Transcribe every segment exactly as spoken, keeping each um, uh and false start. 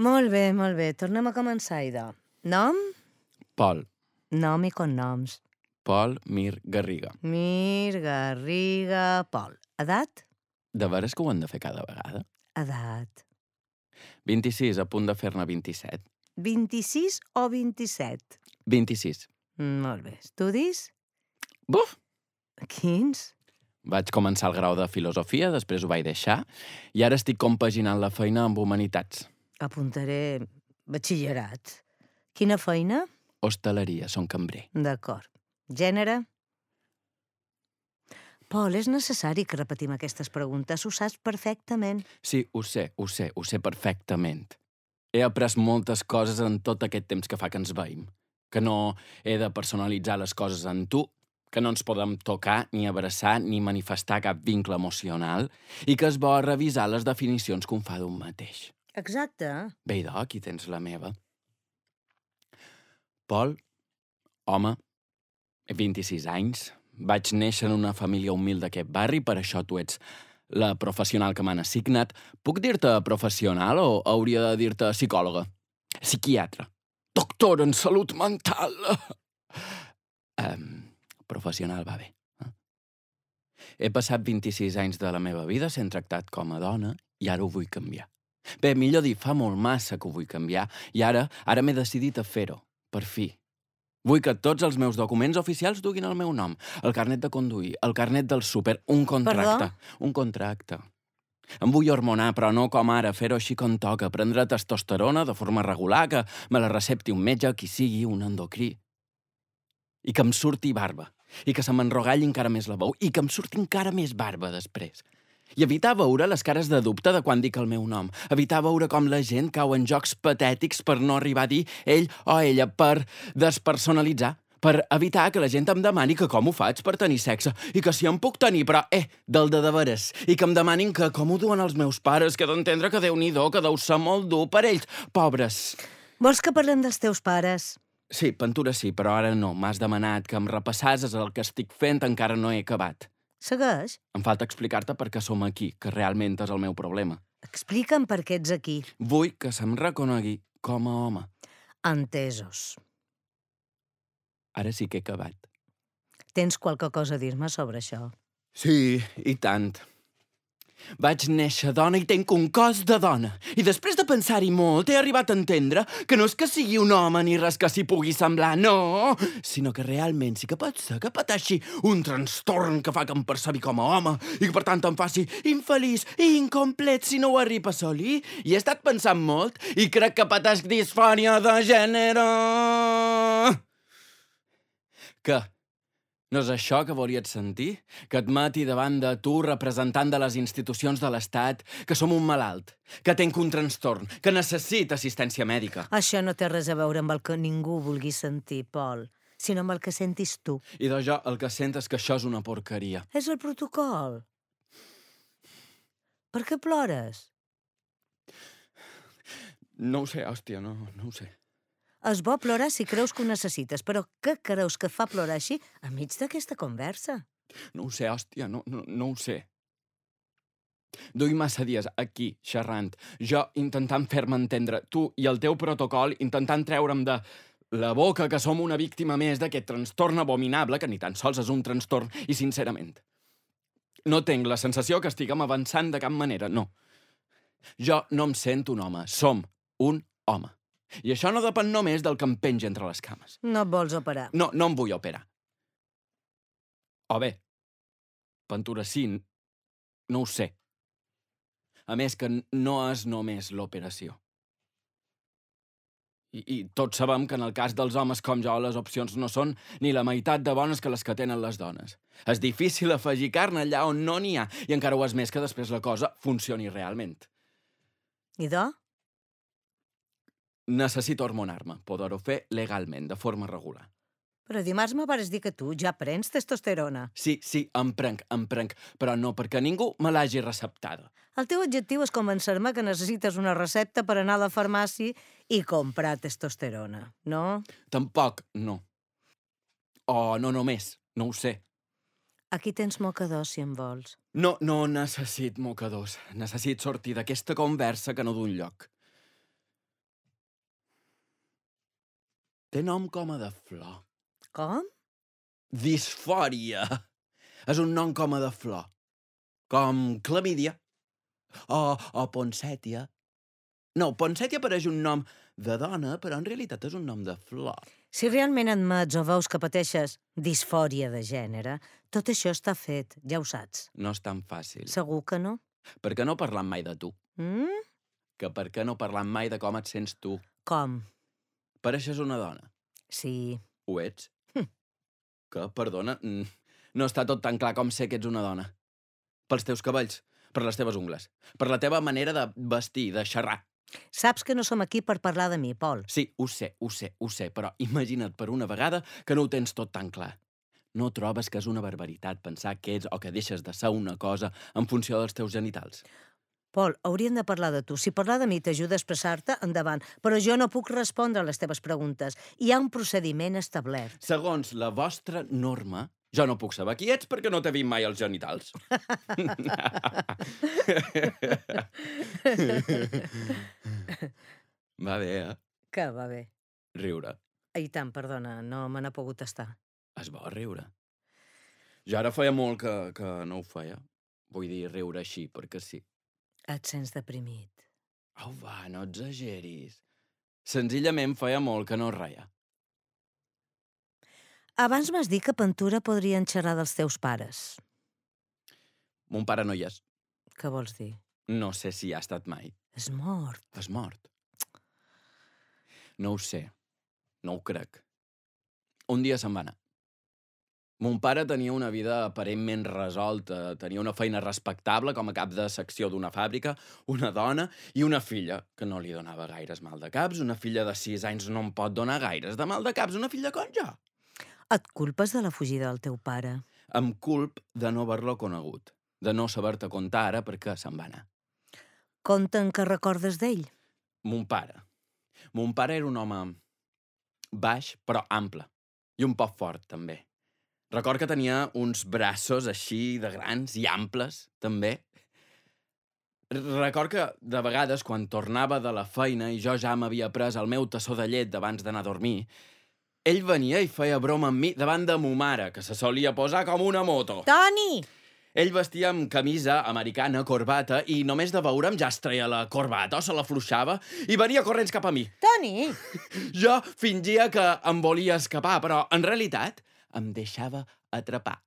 Molt bé, molt bé. Tornem a començar, idò. Nom? Pol. Nom i cognoms. Pol Mir Garriga. Mir, Garriga, Pol. Edat? De veres que ho hem de fer cada vegada? Edat. vint-i-sis, a punt de fer-ne vint-i-set. vint-i-sis o vint-i-set? vint-i-sis. Molt bé. Estudis? Buf! Quins? Vaig començar el grau de filosofia, després ho vaig deixar, i ara estic compaginant la feina amb humanitats. Apuntaré batxillerat. Quina feina? Hostaleria, són cambrer. D'acord. Gènere? Pol, és necessari que repetim aquestes preguntes. Ho saps perfectament. Sí, ho sé, ho sé, ho sé perfectament. He après moltes coses en tot aquest temps que fa que ens veïm. Que no he de personalitzar les coses en tu, que no ens podem tocar, ni abraçar, ni manifestar cap vincle emocional, i que és bo revisar les definicions que un fa d'un mateix. Exacte. Bé, idò, aquí tens la meva. Pol, home, vint-i-sis anys, vaig néixer en una família humil d'aquest barri, per això tu ets la professional que m'han assignat. Puc dir-te professional o hauria de dir-te psicòloga? Psiquiatra. Doctor en salut mental. Um, professional va bé. Eh? He passat vint-i-sis anys de la meva vida sent tractat com a dona i ara ho vull canviar. Bé, millor dir, fa molt massa que ho vull canviar i ara ara m'he decidit a fer-ho, per fi. Vull que tots els meus documents oficials duguin el meu nom, el carnet de conduir, el carnet del súper, un contracte. Perdó? Un contracte. Em vull hormonar, però no com ara, fer-ho així com toca, prendre testosterona de forma regular, que me la recepti un metge, qui sigui, un endocrí. I que em surti barba, i que se m'enrogalli encara més la veu, i que em surti encara més barba després. I evitar veure les cares de dubte de quan dic el meu nom. Evitar veure com la gent cau en jocs patètics per no arribar a dir ell o ella, per despersonalitzar, per evitar que la gent em demani que com ho faig per tenir sexe, i que si em puc tenir, però, eh, del de de veres, i que em demanin que com ho duen els meus pares, que d'entendre que Déu-n'hi-do, que deu ser molt dur per ells, pobres. Vols que parlem dels teus pares? Sí, pintura sí, però ara no. M'has demanat que em repassases el que estic fent, encara no he acabat. Segueix. Em falta explicar-te per què som aquí, que realment és el meu problema. Explica'm per què ets aquí. Vull que se'm reconegui com a home. Entesos. Ara sí que he acabat. Tens qualque cosa a dir-me sobre això? Sí, i tant. Vaig néixer dona i tenc un cos de dona. I després de pensar-hi molt, he arribat a entendre que no és que sigui un home ni res que s'hi pugui semblar, no, sinó que realment sí que pot ser que pateixi un trastorn que fa que em percebi com a home i que per tant em faci infeliç i incomplet si no ho arriba a assolir. I he estat pensant molt i crec que pateix disfòria de gènere. Què? No és això que volies sentir? Que et mati davant de tu, representant de les institucions de l'Estat, que som un malalt, que tenc un trastorn, que necessita assistència mèdica. Això no té res a veure amb el que ningú vulgui sentir, Pol, sinó amb el que sentis tu. I de jo el que sent és que això és una porqueria. És el protocol. Per què plores? No ho sé, hòstia, no, no ho sé. És bo plorar si creus que ho necessites, però què creus que fa plorar així enmig d'aquesta conversa? No ho sé, hòstia, no, no, no ho sé. Duc massa dies aquí, xerrant, jo intentant fer-me entendre, tu i el teu protocol intentant treure'm de la boca que som una víctima més d'aquest trastorn abominable, que ni tan sols és un trastorn, i sincerament, no tinc la sensació que estiguem avançant de cap manera, no. Jo no em sento un home, som un home. I això no depèn només del que em penja entre les cames. No et vols operar. No, no em vull operar. O bé, pintura sí, no ho sé. A més que no és només l'operació. I, I tots sabem que en el cas dels homes com jo les opcions no són ni la meitat de bones que les que tenen les dones. És difícil afegir carn allà on no n'hi ha, i encara ho és més que després la cosa funcioni realment. I de? Necessito hormonar-me, poder-ho fer legalment, de forma regular. Però dimarts me vas dir que tu ja prens testosterona. Sí, sí, em prenc, em prenc, però no perquè ningú me l'hagi receptada. El teu objectiu és convencer-me que necessites una recepta per anar a la farmàcia i comprar testosterona, no? Tampoc, no. O no només, no ho sé. Aquí tens mocadors, si en vols. No, no necessit mocadors. Necessit sortir d'aquesta conversa que no d'un lloc. Té nom com a de flor. Com? Disfòria. És un nom com a de flor. Com clamídia. O, o ponsètia. No, ponsètia pareix un nom de dona, però en realitat és un nom de flor. Si realment admets o veus que pateixes disfòria de gènere, tot això està fet, ja ho saps. No és tan fàcil. Segur que no? Per què no parlam mai de tu? Mm? Que per què no parlam mai de com et sents tu? Com? Pareixes una dona. Sí. Ho ets? Que, perdona, mm, no està tot tan clar com sé que ets una dona. Pels teus cabells, per les teves ungles, per la teva manera de vestir, de xerrar. Saps que no som aquí per parlar de mi, Pol. Sí, ho sé, ho sé, ho sé, però imagina't per una vegada que no ho tens tot tan clar. No trobes que és una barbaritat pensar que ets o que deixes de ser una cosa en funció dels teus genitals? Pol, hauríem de parlar de tu. Si parlar de mi t'ajuda a expressar-te, endavant. Però jo no puc respondre a les teves preguntes. Hi ha un procediment establert. Segons la vostra norma, jo no puc saber qui ets perquè no t'he vist mai els genitals. Va bé, eh? Que va bé. Riure. I tant, perdona, no me n'ha pogut estar. És bo riure. Jo ara feia molt que, que no ho feia. Vull dir, riure així, perquè sí. Et sents deprimit. Au, va, no exageris. Senzillament feia molt que no reia. Abans m'has dit que Pentura podrien xerrar dels teus pares. Mon pare no hi és. Què vols dir? No sé si hi ha estat mai. És mort. És mort. No ho sé. No ho crec. Un dia se'n va anar. Mon pare tenia una vida aparentment resolta, tenia una feina respectable com a cap de secció d'una fàbrica, una dona i una filla, que no li donava gaires mal de caps. Una filla de sis anys no em pot donar gaires de mal de caps, una filla com jo. Et culpes de la fugida del teu pare? Em culp de no haver-lo conegut, de no saber-te contar ara perquè se'n va anar. Conten que recordes d'ell? Mon pare. Mon pare era un home baix, però ample, i un poc fort, també. Record que tenia uns braços així de grans i amples, també. Record que, de vegades, quan tornava de la feina i jo ja m'havia pres el meu tassó de llet abans d'anar a dormir, ell venia i feia broma amb mi davant de mo mare, que se solia posar com una moto. Toni! Ell vestia amb camisa americana, corbata, i només de veure'm ja es treia la corbata o se l'afluixava i venia corrents cap a mi. Toni! Jo fingia que em volia escapar, però, en realitat, em deixava atrapar.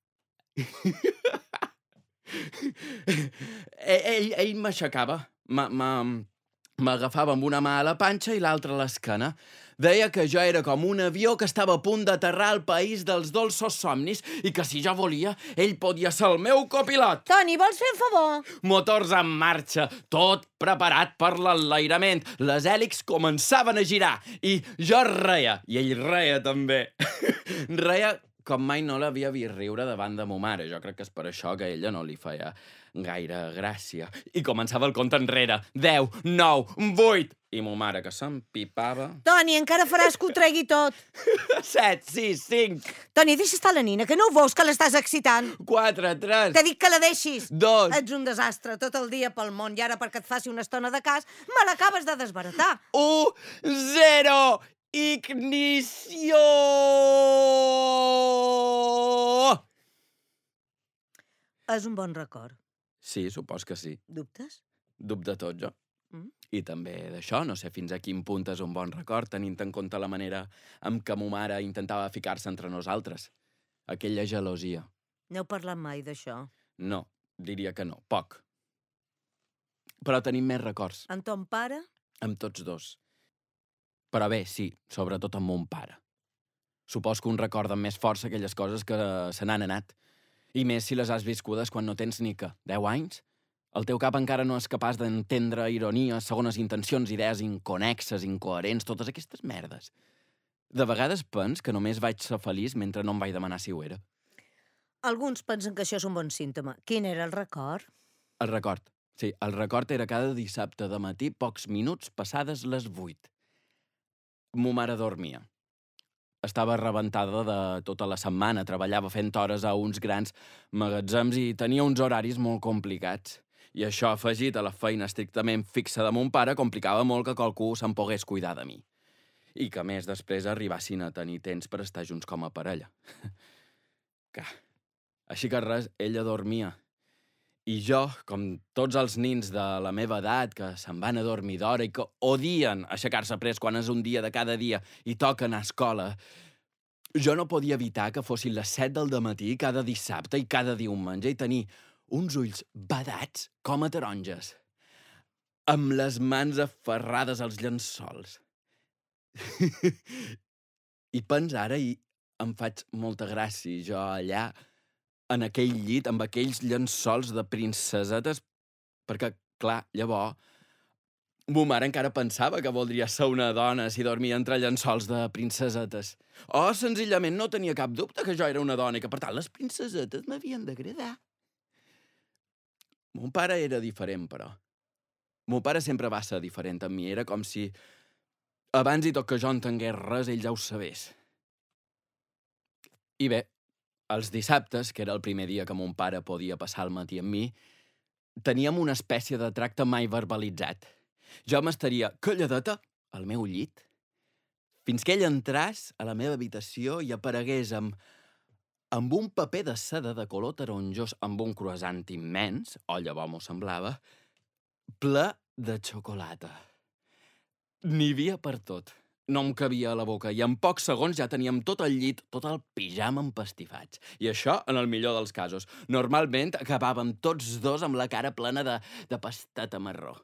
ell ell m'aixecava, m'agafava amb una mà a la panxa i l'altra a l'esquena. Deia que jo era com un avió que estava a punt d'aterrar al país dels dolços somnis i que si jo volia, ell podia ser el meu copilot. Toni, vols fer un favor? Motors en marxa, tot preparat per l'enlairament. Les hèlixs començaven a girar i jo reia, i ell reia també. Reia com mai no l'havia vist riure davant de mo mare. Jo crec que és per això que a ella no li feia gaire gràcia. I començava el compte enrere. Deu, nou, vuit... I mo mare, que s'empipava... Toni, encara faràs que ho tregui tot. Set, sis, cinc... Toni, deixa estar la nina, que no ho veus, que l'estàs excitant. Quatre, tres... T'he dit que la deixis. Dos... Ets un desastre, tot el dia pel món, i ara perquè et faci una estona de cas, me l'acabes de desbaratar. Un, zero... Ignició! És un bon record. Sí, supos que sí. Dubtes? Dubte tot, jo. Mm? I també d'això, no sé fins a quin punt és un bon record, tenint en compte la manera amb què mo mare intentava ficar-se entre nosaltres. Aquella gelosia. N'heu parlat mai, d'això? No, diria que no, poc. Però tenim més records. Amb ton pare? Amb tots dos. Però bé, sí, sobretot amb mon pare. Supos que un recorda amb més força aquelles coses que se n'han anat. I més si les has viscudes quan no tens ni que deu anys. El teu cap encara no és capaç d'entendre ironies, segones intencions, idees inconexes, incoherents, totes aquestes merdes. De vegades pens que només vaig ser feliç mentre no em vaig demanar si ho era. Alguns pensen que això és un bon símptoma. Quin era el record? El record. Sí, el record era cada dissabte de matí, pocs minuts passades les vuit. Mo mare dormia. Estava rebentada de tota la setmana, treballava fent hores a uns grans magatzems i tenia uns horaris molt complicats. I això, afegit a la feina estrictament fixa de mon pare, complicava molt que qualcú se'n pogués cuidar de mi. I que, a més, després arribassin a tenir temps per estar junts com a parella. Que... Així que res, ella dormia. I jo, com tots els nins de la meva edat, que se'n van a dormir d'hora i que odien aixecar-se pres quan és un dia de cada dia i toca anar a escola, jo no podia evitar que fossin les set del dematí cada dissabte i cada diumenge i tenir uns ulls badats com a taronges, amb les mans aferrades als llençols. I pens ara i em faig molta gràcia, jo allà, en aquell llit, amb aquells llençols de princesetes, perquè, clar, llavors, mo mare encara pensava que voldria ser una dona si dormia entre llençols de princesetes. O, senzillament, no tenia cap dubte que jo era una dona i que, per tant, les princesetes m'havien d'agradar. Mon pare era diferent, però. Mon pare sempre va ser diferent amb mi. Era com si, abans i tot que jo entengués res, ell ja ho sabés. I bé, els dissabtes, que era el primer dia que mon pare podia passar el matí amb mi, teníem una espècie de tracte mai verbalitzat. Jo m'estaria calladeta al meu llit, fins que ell entràs a la meva habitació i aparegués amb, amb un paper de seda de color taronjós, amb un croissant immens, o llavors m'ho semblava, ple de xocolata. N'hi havia per tot. No em cabia a la boca i en pocs segons ja teníem tot el llit, tot el pijama empastifats. I això en el millor dels casos. Normalment acabàvem tots dos amb la cara plena de, de pastata marró.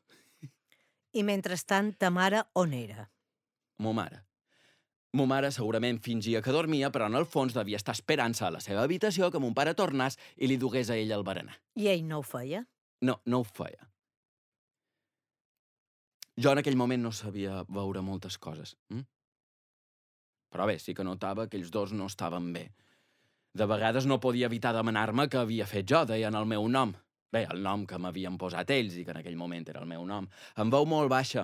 I mentrestant, ta mare on era? Mo mare. Mo mare segurament fingia que dormia, però en el fons devia estar esperant-se a la seva habitació que mon pare tornés i li dugués a ell el berenar. I ell no ho feia? No, no ho feia. Jo en aquell moment no sabia veure moltes coses. Hm? Però bé, sí que notava que ells dos no estaven bé. De vegades no podia evitar demanar-me què havia fet jo, deien el meu nom. Bé, el nom que m'havien posat ells i que en aquell moment era el meu nom. Em veu molt baixa.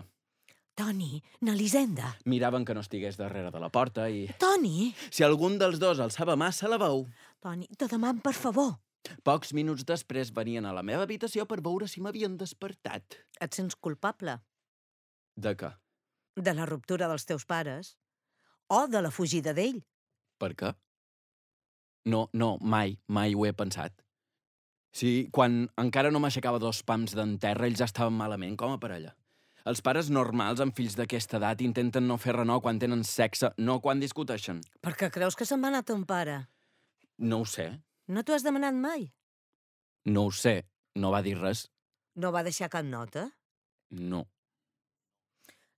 Toni, n'Elisenda. Miraven que no estigués darrere de la porta i... Toni! Si algun dels dos alçava massa la veu... Toni, te deman, per favor. Pocs minuts després venien a la meva habitació per veure si m'havien despertat. Et sents culpable? De què? De la ruptura dels teus pares? O de la fugida d'ell? Per què? No, no, mai, mai ho he pensat. Sí, quan encara no m'aixecava dos pams d'en terra, ells ja estaven malament com a parella. Els pares normals amb fills d'aquesta edat intenten no fer renor quan tenen sexe, no quan discuteixen. Per què creus que se'n va anar ton pare? No ho sé. No t'ho has demanat mai? No ho sé. No va dir res. No va deixar cap nota? No.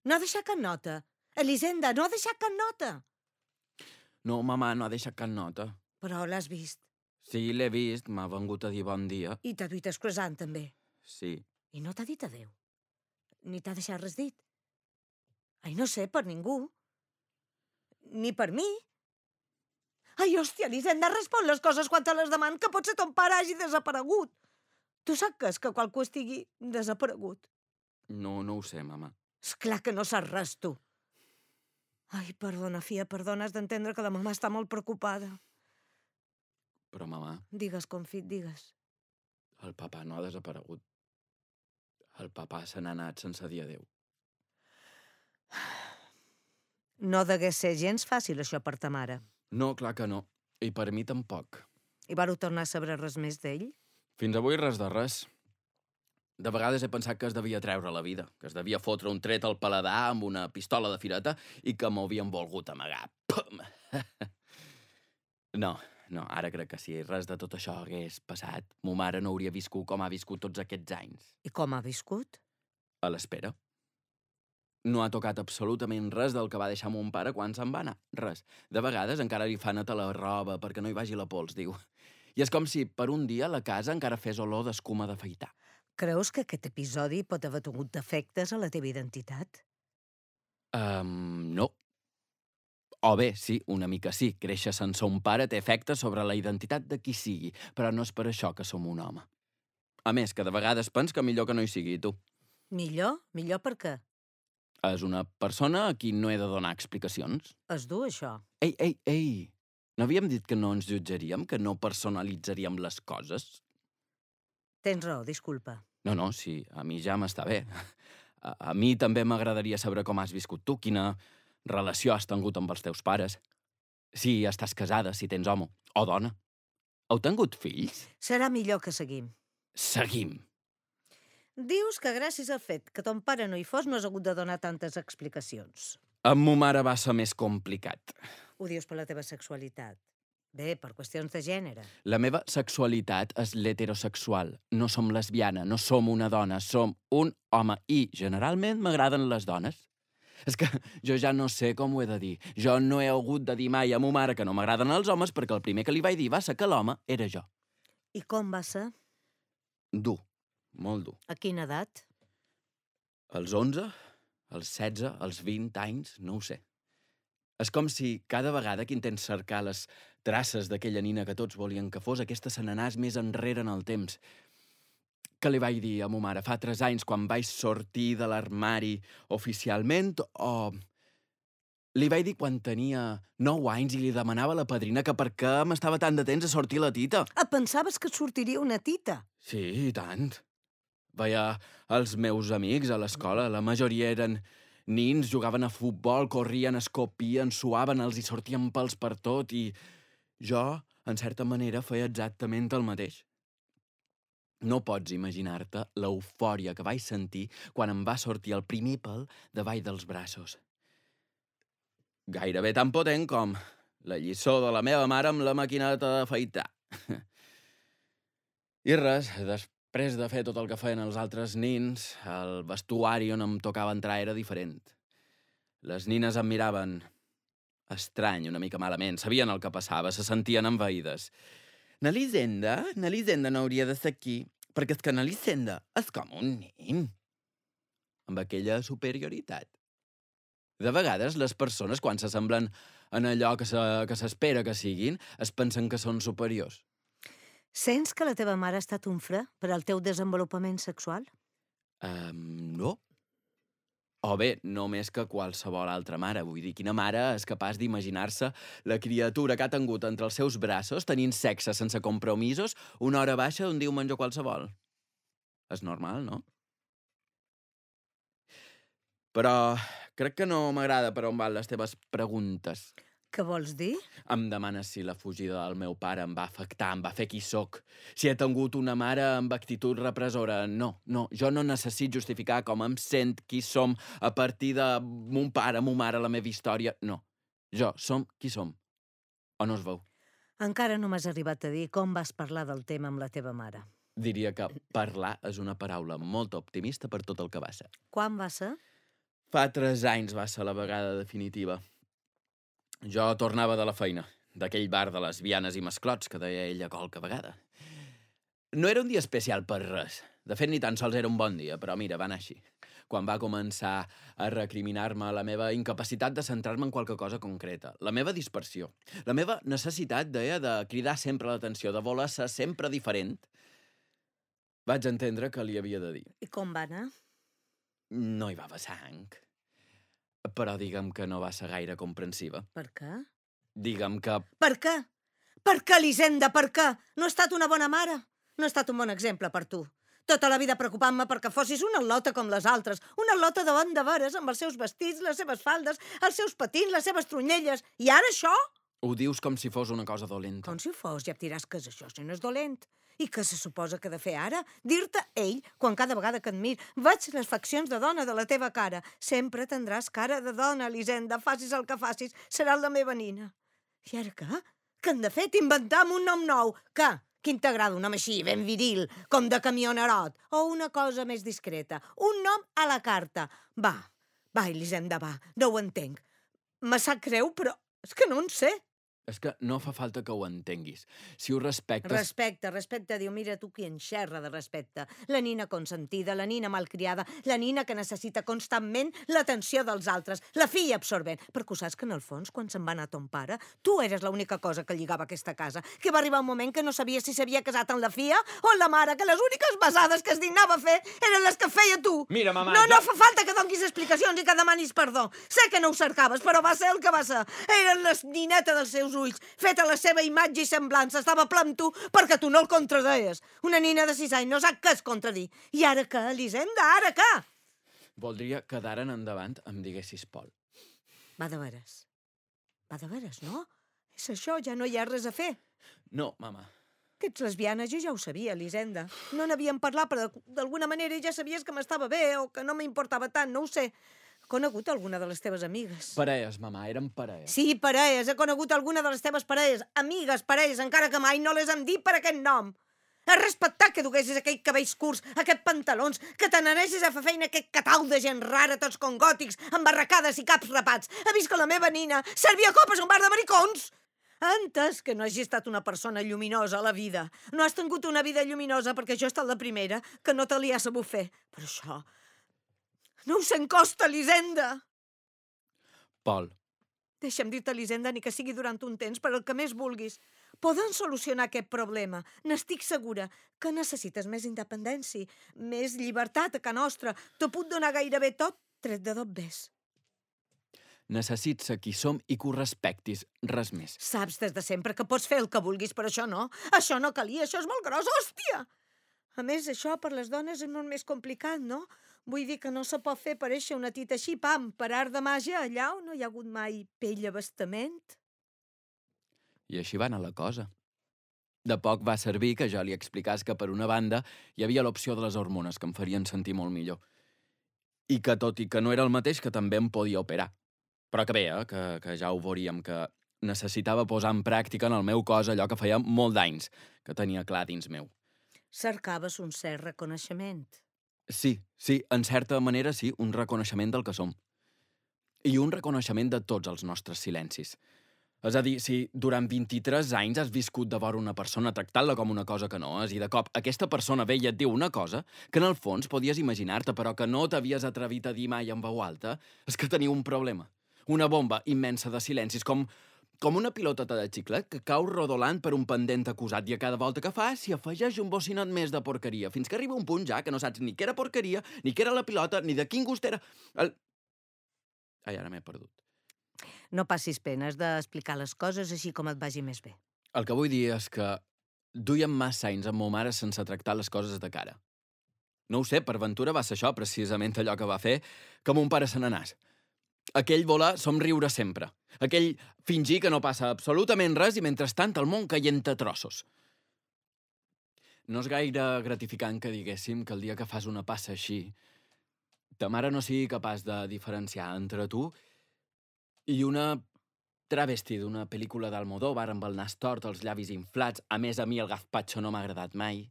No ha deixat cap nota. Elisenda, no ha deixat cap nota. No, mamà, no ha deixat cap nota. Però l'has vist. Sí, l'he vist. M'ha vengut a dir bon dia. I t'ha duit el croissant, també. Sí. I no t'ha dit adéu. Ni t'ha deixat res dit. Ai, no sé, per ningú. Ni per mi. Ai, hòstia, Elisenda, respon les coses quan te les deman, que potser ton pare hagi desaparegut. Tu saps que qualcú estigui desaparegut? No, no ho sé, mamà. Esclar que no saps res, tu. Ai, perdona, fia, perdona, has d'entendre que la mamà està molt preocupada. Però, mamà... Digues, confit, digues. El papà no ha desaparegut. El papà se n'ha anat sense dir adéu. No degué ser gens fàcil, això, per ta mare. No, clar que no. I per mi tampoc. I vareu tornar a saber res més d'ell? Fins avui res de res. De vegades he pensat que es devia treure la vida, que es devia fotre un tret al paladar amb una pistola de fireta i que m'ho havien volgut amagar. Pum! No, no, ara crec que si res de tot això hagués passat, mo mare no hauria viscut com ha viscut tots aquests anys. I com ha viscut? A l'espera. No ha tocat absolutament res del que va deixar mon pare quan se'n va anar. Res. De vegades encara li fa netar la roba perquè no hi vagi la pols, diu. I és com si per un dia la casa encara fes olor d'escuma d'afaitar. Creus que aquest episodi pot haver tingut defectes a la teva identitat? Um, no. O bé, sí, una mica sí. Créixer sense un pare té efectes sobre la identitat de qui sigui, però no és per això que som un home. A més, que de vegades pens que millor que no hi sigui tu. Millor? Millor per què? És una persona a qui no he de donar explicacions. Es du, això. Ei, ei, ei! No havíem dit que no ens jutjaríem, que no personalitzaríem les coses? Tens raó, disculpa. No, no, sí, a mi ja m'està bé. A, a mi també m'agradaria saber com has viscut tu, quina, relació has tingut amb els teus pares, si estàs casada, si tens home o dona. Heu tingut fills? Serà millor que seguim. Seguim. Dius que gràcies al fet que ton pare no hi fos no has hagut de donar tantes explicacions. Amb mo mare va ser més complicat. Ho dius per la teva sexualitat. Bé, per qüestions de gènere. La meva sexualitat és l'heterosexual. No som lesbiana, no som una dona, som un home i, generalment, m'agraden les dones. És que jo ja no sé com ho he de dir. Jo no he hagut de dir mai a mo mare que no m'agraden els homes perquè el primer que li vaig dir va ser que l'home era jo. I com va ser? Dur, molt dur. A quina edat? Els onze, els setze, els vint anys, no ho sé. És com si cada vegada que intents cercar les traces d'aquella nina que tots volien que fos, aquesta se n'anàs més enrere en el temps. Què li vaig dir a mo mare fa tres anys quan vaig sortir de l'armari oficialment o... Li vaig dir quan tenia nou anys i li demanava a la padrina que per què m'estava tant de temps a sortir la tita. Ah, pensaves que et sortiria una tita? Sí, i tant. Veia els meus amics a l'escola, la majoria eren nins, jugaven a futbol, corrien, escopien, suaven, els hi sortien pels per tot i jo, en certa manera, feia exactament el mateix. No pots imaginar-te l'eufòria que vaig sentir quan em va sortir el primer pèl davall dels braços. Gairebé tan potent com la lliçó de la meva mare amb la maquineta d'afaitar. I res, després de fer tot el que feien els altres nins, el vestuari on em tocava entrar era diferent. Les nines em miraven estrany, una mica malament, sabien el que passava, se sentien envaïdes. N'Elisenda, n'Elisenda no hauria de ser aquí, perquè és que n'Elisenda és com un nen. Amb aquella superioritat. De vegades, les persones, quan s'assemblen en allò que s'espera que siguin, es pensen que són superiors. Sents que la teva mare ha estat un fre per al teu desenvolupament sexual? Um, no. O bé, no més que qualsevol altra mare. Vull dir, quina mare és capaç d'imaginar-se la criatura que ha tingut entre els seus braços, tenint sexe sense compromisos, una hora baixa d'un diumenge qualsevol? És normal, no? Però crec que no m'agrada per on van les teves preguntes. Què vols dir? Em demanes si la fugida del meu pare em va afectar, em va fer qui sóc. Si he tingut una mare amb actitud repressora. No, no, jo no necessito justificar com em sent, qui som, a partir de mon pare, mon mare, la meva història. No, jo som qui som. O no es veu? Encara no m'has arribat a dir com vas parlar del tema amb la teva mare. Diria que parlar és una paraula molt optimista per tot el que va ser. Quan va ser? Fa tres anys va ser la vegada definitiva. Jo tornava de la feina, d'aquell bar de lesbianes i masclots que deia ella qualque vegada. No era un dia especial per res. De fet, ni tan sols era un bon dia, però mira, va anar així. Quan va començar a recriminar-me la meva incapacitat de centrar-me en qualque cosa concreta, la meva dispersió, la meva necessitat, deia, de cridar sempre l'atenció, de voler ser sempre diferent, vaig entendre que li havia de dir. I com va anar? No hi va haver sang. Però digue'm que no va ser gaire comprensiva. Per què? Digue'm que... Per què? Per què, Elisenda, per què? No he estat una bona mare. No he estat un bon exemple per tu. Tota la vida preocupant-me perquè fossis una al·lota com les altres. Una al·lota de bon de veres, amb els seus vestits, les seves faldes, els seus patins, les seves tronyelles. I ara això? Ho dius com si fos una cosa dolenta. Com si ho fos, ja em diràs que és això, si no és dolent. I què se suposa que he de fer ara? Dir-te ell, quan cada vegada que et mir veig les faccions de dona de la teva cara. Sempre tindràs cara de dona, Elisenda, facis el que facis, seràs la meva nina. I ara què? Què hem de fer? T'inventam un nom nou. Què? Quin t'agrada un nom així, ben viril, com de camionerot? O una cosa més discreta? Un nom a la carta. Va, va, Elisenda, va, no ho entenc. Me sap greu, però és que no en sé. És que no fa falta que ho entenguis. Si ho respectes... Respecte, respecte, diu, mira tu qui en xerra de respecte. La nina consentida, la nina malcriada, la nina que necessita constantment l'atenció dels altres, la filla absorbent. Perquè saps que en el fons, quan se'n va anar ton pare, tu eres l'única cosa que lligava aquesta casa, que va arribar un moment que no sabia si s'havia casat amb la filla o amb la mare, que les úniques besades que es dignava a fer eren les que feia tu. Mira, mamà... No, jo... no fa falta que donis explicacions i que demanis perdó. Sé que no ho cercaves, però va ser el que va ser. Eren les nineta dels seus ulls, feta la seva imatge i semblança, estava ple amb tu perquè tu no el contradeies. Una nina de sis anys no sap què es contradir. I ara què, Elisenda, ara què? Voldria que d'ara en endavant em diguessis Pol. Va de veres. Va de veres, no? És això, ja no hi ha res a fer. No, mama. Que ets lesbiana, jo ja ho sabia, Elisenda. No n'havíem parlat, però d'alguna manera ja sabies que m'estava bé o que no m'importava tant, no ho sé. He conegut alguna de les teves amigues. Parelles, mama, eren parelles. Sí, parelles, he conegut alguna de les teves parelles. Amigues, parelles, encara que mai no les hem dit per aquest nom. Has respectat que duguessis aquells cabells curts, aquests pantalons, que te n'anessis a fer feina aquest catau de gent rara, tots com gòtics, amb barracades i caps rapats. Ha vist que la meva nina servia copes a un bar de maricons? Ha entès que no hagi estat una persona lluminosa a la vida. No has tingut una vida lluminosa perquè jo he estat la primera que no te li ha sabut fer. Però això... no us encosta, Elisenda! Pol. Deixa'm dir-te, Elisenda, ni que sigui durant un temps, per el que més vulguis. Poden solucionar aquest problema. N'estic segura que necessites més independència, més llibertat a ca nostra. T'ho puc donar gairebé tot, tret de d'on ves. Necessits ser qui som i que ho respectis, res més. Saps des de sempre que pots fer el que vulguis, però això no. Això no calia, això és molt gros, hòstia! A més, això per les dones és molt més complicat, no? Vull dir que no se pot fer parèixer una tita així, pam, per art de màgia, allà on no hi ha hagut mai pell a bastament. I així va anar la cosa. De poc va servir que jo li explicàs que, per una banda, hi havia l'opció de les hormones, que em farien sentir molt millor. I que, tot i que no era el mateix, que també em podia operar. Però que bé, eh? que, que ja ho veuríem, que necessitava posar en pràctica en el meu cos allò que feia molt d'anys, que tenia clar dins meu. Cercaves un cert reconeixement. Sí, sí, en certa manera sí, un reconeixement del que som. I un reconeixement de tots els nostres silencis. És a dir, si durant vint-i-tres anys has viscut de vora una persona tractant-la com una cosa que no és, i de cop aquesta persona ve i et diu una cosa que en el fons podies imaginar-te, però que no t'havies atrevit a dir mai en veu alta, és que teniu un problema. Una bomba immensa de silencis, com, com una pilotota de xiclet que cau rodolant per un pendent acusat i a cada volta que fa s'hi afegeix un bocinot més de porqueria, fins que arriba un punt ja que no saps ni què era porqueria, ni què era la pilota, ni de quin gust era... El... Ai, ara m'he perdut. No passis pena, has d'explicar les coses així com et vagi més bé. El que vull dir és que duien massa anys amb ma mare sense tractar les coses de cara. No ho sé, per ventura va ser això precisament allò que va fer que mon pare se n'anàs. Aquell voler somriure sempre. Aquell fingir que no passa absolutament res i mentrestant el món caient a trossos. No és gaire gratificant que diguéssim que el dia que fas una passa així ta mare no sigui capaç de diferenciar entre tu i una travesti d'una pel·lícula d'Almodóvar amb el nas tort, els llavis inflats. A més, a mi el gazpacho no m'ha agradat mai.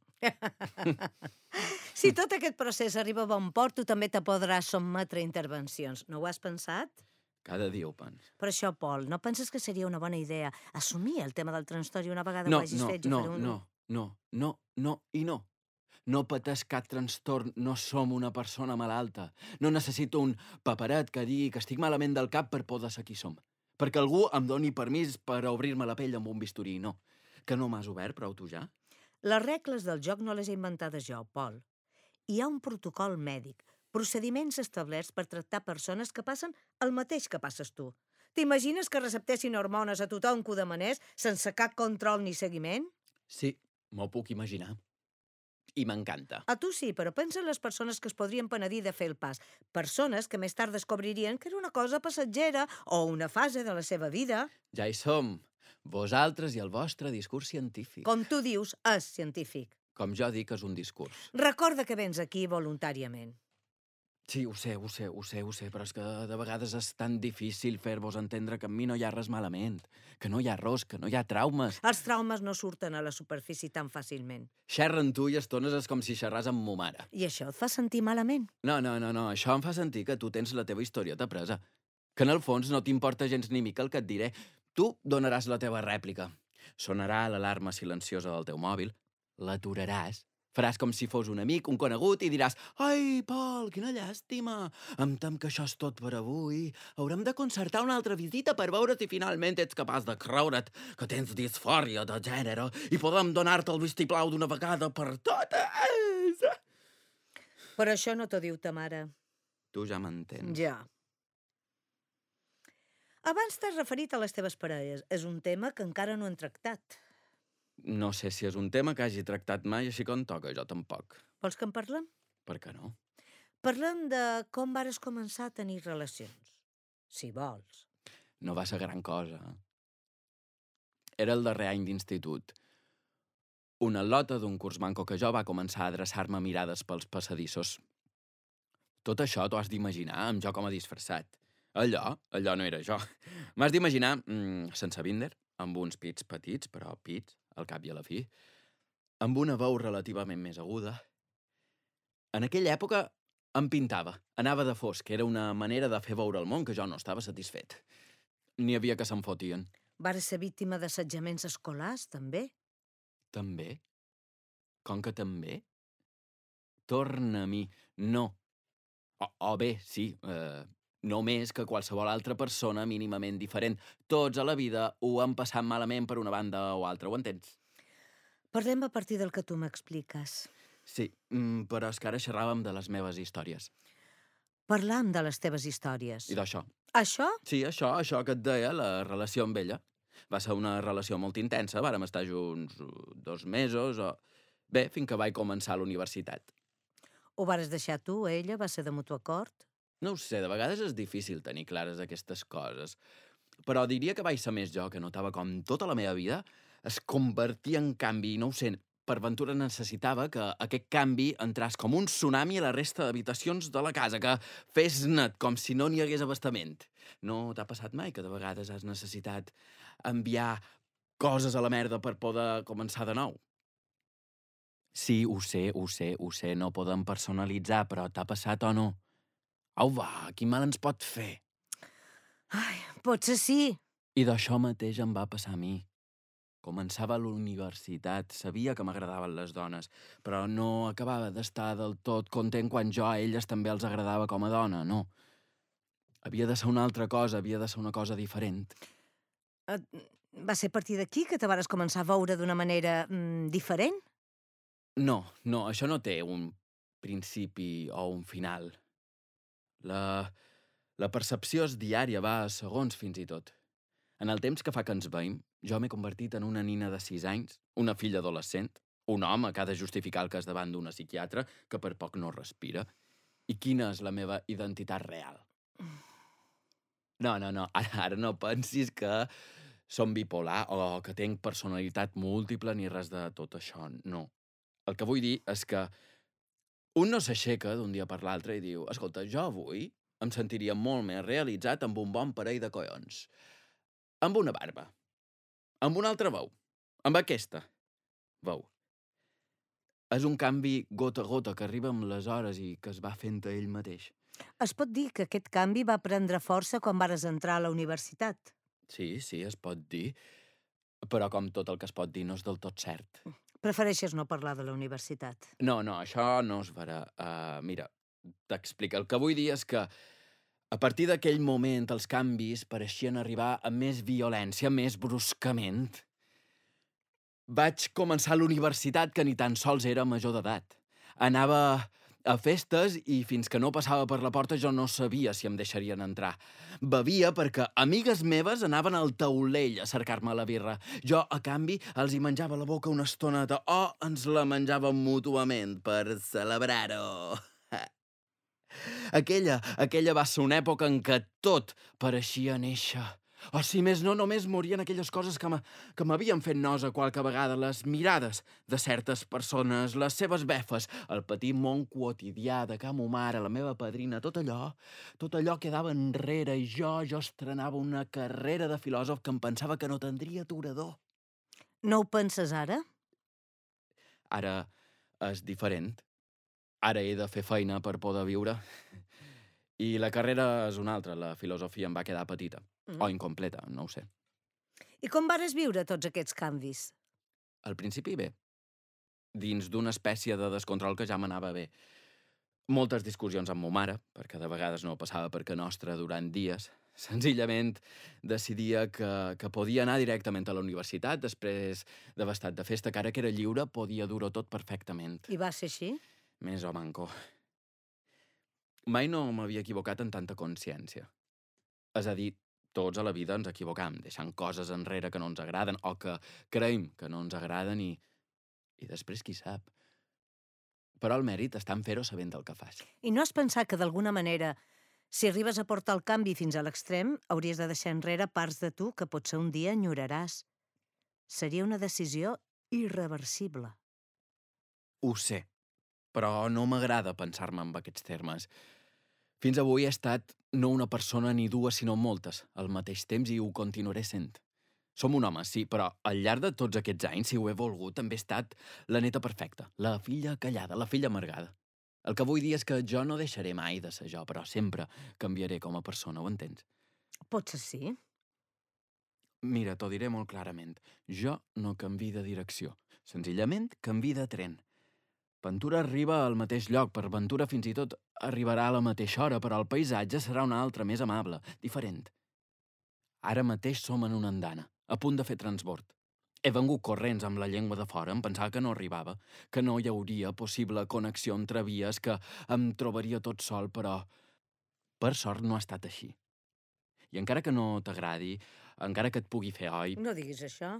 Si tot aquest procés arriba a bon port, tu també te podràs sotmetre a intervencions. No ho has pensat? Cada dia ho penso. Per això, Pol, no penses que seria una bona idea assumir el tema del trastorn una vegada No, ho hagis no, fet? no, Jo faré un... no, no, no, no i no. No pateix cap trastorn, no som una persona malalta. No necessito un paperet que digui que estic malament del cap per poder ser qui som. Perquè algú em doni permís per obrir-me la pell amb un bisturí, no. Que no m'has obert prou tu ja? Les regles del joc no les he inventades jo, Pol. Hi ha un protocol mèdic, procediments establerts per tractar persones que passen el mateix que passes tu. T'imagines que receptessin hormones a tothom que ho demanés sense cap control ni seguiment? Sí, m'ho puc imaginar. I m'encanta. A tu sí, però pensa en les persones que es podrien penedir de fer el pas. Persones que més tard descobririen que era una cosa passatgera o una fase de la seva vida. Ja hi som. Vosaltres i el vostre discurs científic. Com tu dius, és científic. Com jo dic, és un discurs. Recorda que vens aquí voluntàriament. Sí, ho sé, ho sé, ho sé, ho sé, però és que de vegades és tan difícil fer-vos entendre que amb mi no hi ha res malament, que no hi ha ros, que no hi ha traumes. Els traumes no surten a la superfície tan fàcilment. Xerra amb tu i estones és com si xerràs amb mo mare. I això et fa sentir malament? No, no, no, no, això em fa sentir que tu tens la teva historieta presa. Que en el fons no t'importa gens ni mica el que et diré. Tu donaràs la teva rèplica. Sonarà l'alarma silenciosa del teu mòbil, l'aturaràs, faràs com si fos un amic, un conegut, i diràs «Ai, Pol, quina llàstima! Em tem que això és tot per avui. Haurem de concertar una altra visita per veure si finalment ets capaç de creure't que tens disfòria de gènere i podem donar-te el vistiplau d'una vegada per totes!» Però això no t'ho diu ta mare. Tu ja m'entens. Ja. Abans t'has referit a les teves parelles. És un tema que encara no hem tractat. No sé si és un tema que hagi tractat mai així com toca, jo tampoc. Vols que en parlem? Per què no? Parlem de com vares començar a tenir relacions. Si vols. No va ser gran cosa. Era el darrer any d'institut. Una lota d'un curs manco que jo va començar a adreçar-me mirades pels passadissos. Tot això t'ho has d'imaginar amb jo com a disfressat. Allò, allò no era jo. M'has d'imaginar, mmm, sense binder, amb uns pits petits, però pits, al cap i a la fi, amb una veu relativament més aguda. En aquella època em pintava, anava de fosc, era una manera de fer veure al món que jo no estava satisfet. N'hi havia que se'n fotien. Vares ser víctima d'assetjaments escolars, també? També? Com que també? Torna a mi. No. O, o bé, sí, eh, no més que qualsevol altra persona mínimament diferent. Tots a la vida ho han passat malament per una banda o altra, ho entens? Parlem a partir del que tu m'expliques. Sí, mm, però és que ara xerràvem de les meves històries. Parlam de les teves històries. I d'això. Això? Sí, això, això que et deia, la relació amb ella. Va ser una relació molt intensa, vàrem estar junts dos mesos, o... bé, fins que vaig començar a la universitat. Ho vares deixar tu, ella? Va ser de mutu acord? No ho sé, de vegades és difícil tenir clares aquestes coses, però diria que vaig ser més jo, que notava com tota la meva vida es convertia en canvi, i no ho sé, per ventura necessitava que aquest canvi entràs com un tsunami a la resta d'habitacions de la casa, que fes net, com si no n'hi hagués abastament. No t'ha passat mai que de vegades has necessitat enviar coses a la merda per poder començar de nou? Sí, ho sé, ho sé, ho sé, no podem personalitzar, però t'ha passat o no? Au, va, quin mal ens pot fer? Ai, potser sí. I d'això mateix em va passar a mi. Començava a la universitat, sabia que m'agradaven les dones, però no acabava d'estar del tot content quan jo a elles també els agradava com a dona, no. Havia de ser una altra cosa, havia de ser una cosa diferent. Uh, va ser a partir d'aquí que te vares començar a veure d'una manera mm, diferent? No, no, això no té un principi o un final. La, la percepció és diària, va a segons fins i tot. En el temps que fa que ens veiem, jo m'he convertit en una nina de sis anys, una filla adolescent, un home que ha de justificar el cas davant d'una psiquiatra que per poc no respira. I quina és la meva identitat real? No, no, no, ara, ara no pensis que som bipolar o que tinc personalitat múltiple ni res de tot això, no. El que vull dir és que un no s'aixeca d'un dia per l'altre i diu escolta, jo avui em sentiria molt més realitzat amb un bon parell de collons. Amb una barba. Amb una altra veu. Amb aquesta veu. És un canvi gota a gota que arriba amb les hores i que es va fent a ell mateix. Es pot dir que aquest canvi va prendre força quan vares entrar a la universitat? Sí, sí, es pot dir. Però com tot el que es pot dir no és del tot cert. Prefereixes no parlar de la universitat? No, no, això no es farà. Uh, mira, t'explico. El que vull dir és que a partir d'aquell moment, els canvis pareixien arribar amb més violència, més bruscament. Vaig començar a la universitat, que ni tan sols era major d'edat. Anava a festes i fins que no passava per la porta jo no sabia si em deixarien entrar. Bevia perquè amigues meves anaven al taulell a cercar-me la birra. Jo, a canvi, els hi menjava la boca una estoneta o ens la menjàvem mútuament per celebrar-ho. Aquella, aquella va ser una època en què tot pareixia néixer. O si més no, només morien aquelles coses que m'havien fet nosa qualque vegada, les mirades de certes persones, les seves befes, el petit món quotidià de ca mo mare, la meva padrina, tot allò, tot allò quedava enrere i jo, jo estrenava una carrera de filòsof que em pensava que no tindria aturador. No ho penses ara? Ara és diferent. Ara he de fer feina per poder viure. I la carrera és una altra, la filosofia em va quedar petita. Mm. O incompleta, no ho sé. I com vares viure tots aquests canvis? Al principi bé. Dins d'una espècie de descontrol que ja m'anava bé. Moltes discussions amb mo mare, perquè de vegades no passava perquè nostra durant dies. Senzillament decidia que, que podia anar directament a la universitat després d'haver estat de festa, que ara que era lliure podia dur-ho tot perfectament. I va ser així? Més o manco. Mai no m'havia equivocat en tanta consciència. És a dir, tots a la vida ens equivocam, deixant coses enrere que no ens agraden o que creiem que no ens agraden i, i després qui sap. Però el mèrit està en fer-ho sabent el que fas. I no has pensat que d'alguna manera Si arribes a portar el canvi fins a l'extrem, hauries de deixar enrere parts de tu que potser un dia enyoraràs. Seria una decisió irreversible. Ho sé, però no m'agrada pensar-me en aquests termes. Fins avui he estat no una persona ni dues, sinó moltes, al mateix temps, i ho continuaré sent. Som un home, sí, però al llarg de tots aquests anys, si ho he volgut, també he estat la neta perfecta, la filla callada, la filla amargada. El que vull dir és que jo no deixaré mai de ser jo, però sempre canviaré com a persona, ho entens? Potser sí. Mira, t'ho diré molt clarament. Jo no canvi de direcció. Senzillament canvi de tren. Ventura arriba al mateix lloc, per Ventura fins i tot arribarà a la mateixa hora, però el paisatge serà un altre, més amable, diferent. Ara mateix som en una andana, a punt de fer transbord. He vengut corrents amb la llengua de fora, em pensava que no arribava, que no hi hauria possible connexió entre vies, que em trobaria tot sol, però per sort no ha estat així. I encara que no t'agradi, encara que et pugui fer oi, No diguis això.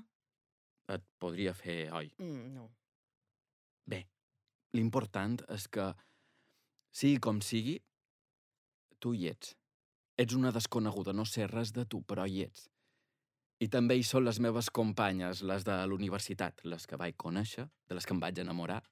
et podria fer oi. Mm, no. Bé, l'important és que, sigui com sigui, tu hi ets. Ets una desconeguda, no sé res de tu, però hi ets. I també hi són les meves companyes, les de l'universitat, les que vaig conèixer, de les que em vaig enamorar,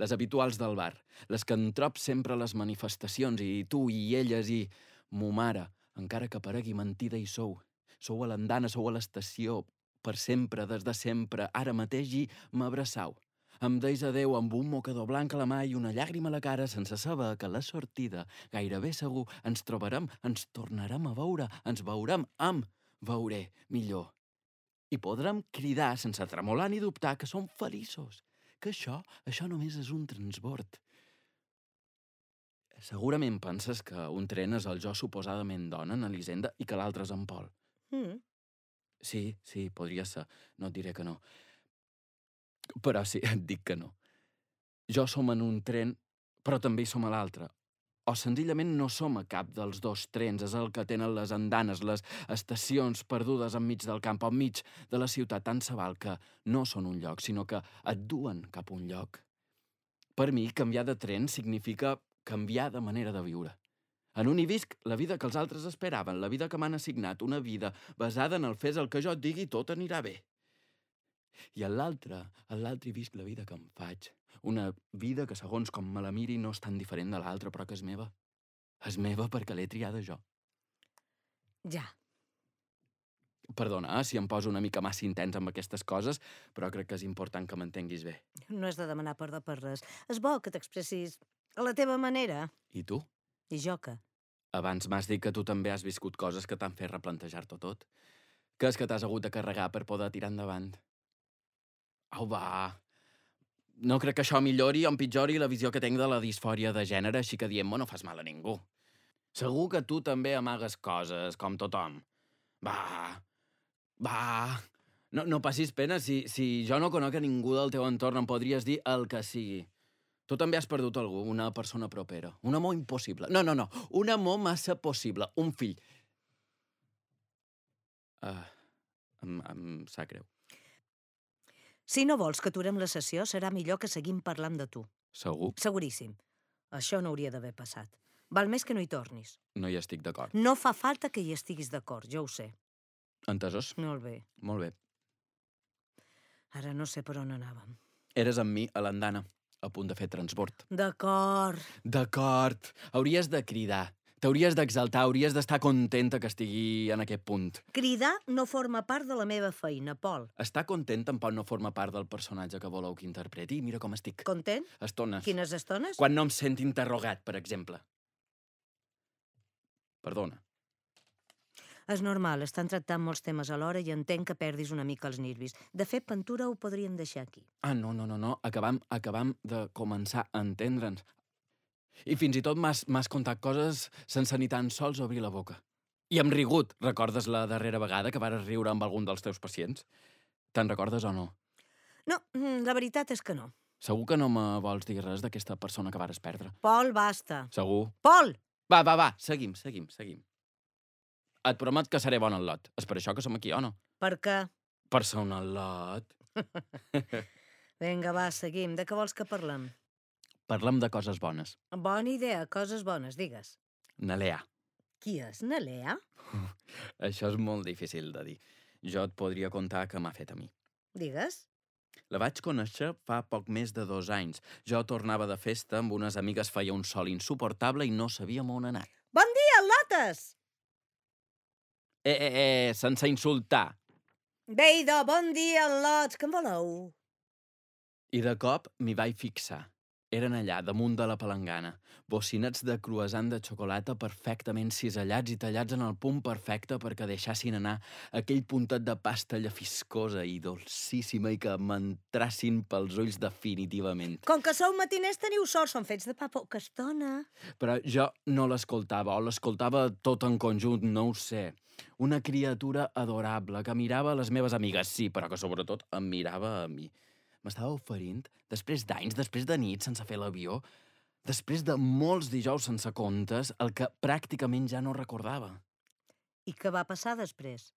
les habituals del bar, les que em trob sempre a les manifestacions, i tu i elles i mo mare, encara que paregui mentida hi sou. Sou a l'andana, sou a l'estació, per sempre, des de sempre, ara mateix, i m'abraçau. Em deis adeu amb un mocador blanc a la mà i una llàgrima a la cara, sense saber que a la sortida, gairebé segur, ens trobarem, ens tornarem a veure, ens veurem amb, veuré millor. I podrem cridar sense tremolar ni dubtar que som feliços, que això, això només és un transbord. Segurament penses que un tren és el jo suposadament dona en Elisenda i que l'altre és en Pol. Mm. Sí, sí, podria ser, no et diré que no. Però sí, et dic que no. Jo som en un tren, però també hi som a l'altre. O senzillament no som a cap dels dos trens, és el que tenen les andanes, les estacions perdudes enmig del camp o enmig de la ciutat, tant se val que no són un lloc, sinó que et duen cap a un lloc. Per mi, canviar de tren significa canviar de manera de viure. En un hi visc la vida que els altres esperaven, la vida que m'han assignat, una vida basada en el fes el que jo et digui i tot anirà bé. I en l'altre, en l'altre hi visc la vida que em faig. Una vida que, segons com me la miri, no és tan diferent de l'altra, però que és meva. És meva perquè l'he triada jo. Ja. Perdona, eh, si em poso una mica massa intens amb aquestes coses, però crec que és important que m'entenguis bé. No has de demanar perdó per res. És bo que t'expressis a la teva manera. I tu? I jo que? Abans m'has dit que tu també has viscut coses que t'han fet replantejar-t'ho tot. Que és que t'has hagut de carregar per poder tirar endavant. Au, va. No crec que això millori o empitjori la visió que tinc de la disfòria de gènere, així que dient-me no fas mal a ningú. Segur que tu també amagues coses, com tothom. Va, va... No, no passis pena, si, si jo no conec a ningú del teu entorn em podries dir el que sigui. Tu també has perdut algú, una persona propera. Un amor impossible. No, no, no, un amor massa possible. Un fill. Uh, em, em sap greu. Si no vols que aturem la sessió, serà millor que seguim parlant de tu. Segur? Seguríssim. Això no hauria d'haver passat. Val més que no hi tornis. No hi estic d'acord. No fa falta que hi estiguis d'acord, jo ho sé. Entesos? Molt bé. Molt bé. Ara no sé per on anàvem. Eres amb mi a l'andana, a punt de fer transbord. D'acord. D'acord. Hauries de cridar. T'hauries d'exaltar, hauries d'estar contenta que estigui en aquest punt. Cridar no forma part de la meva feina, Pol. Estar content tampoc no forma part del personatge que voleu que interpreti. Mira com estic. Content? Estones. Quines estones? Quan no em sent interrogat, per exemple. Perdona. És normal, estan tractant molts temes alhora i entenc que perdis una mica els nervis. De fet, Ventura ho podríem deixar aquí. Ah, no, no, no, no. Acabam, acabam de començar a entendre'ns. I fins i tot m'has contat coses sense ni tan sols obrir la boca. I hem rigut. Recordes la darrera vegada que vares riure amb algun dels teus pacients? Te'n recordes o no? No, la veritat és que no. Segur que no me vols dir res d'aquesta persona que vares perdre? Pol, basta. Segur? Pol! Va, va, va, seguim, seguim, seguim. Et promet que seré bon al lot. És per això que som aquí, o no? Per què? Per ser un al lot. Vinga, va, seguim. De què vols que parlem? Parlem de coses bones. Bona idea, coses bones, digues. Nalea. Qui és na Lea? Això és molt difícil de dir. Jo et podria contar què m'ha fet a mi. Digues. La vaig conèixer fa poc més de dos anys. Jo tornava de festa amb unes amigues, feia un sol insuportable i no sabíem on anar. Bon dia, Lotes! Eh, eh, eh, sense insultar. Bé, idò, bon dia, Lots, què en voleu? I de cop m'hi vaig fixar. Eren allà, damunt de la palangana, bocinats de croissant de xocolata perfectament cisellats i tallats en el punt perfecte perquè deixassin anar aquell puntet de pasta llefiscosa i dolcíssima i que m'entrassin pels ulls definitivament. Com que sou matiners teniu sort, són fets de pa poca estona. Però jo no l'escoltava, o l'escoltava tot en conjunt, no ho sé. Una criatura adorable que mirava a les meves amigues, sí, però que sobretot em mirava a mi. M'estava oferint, després d'anys, després de nit sense fer l'avió, després de molts dijous sense comptes, el que pràcticament ja no recordava. I què va passar després?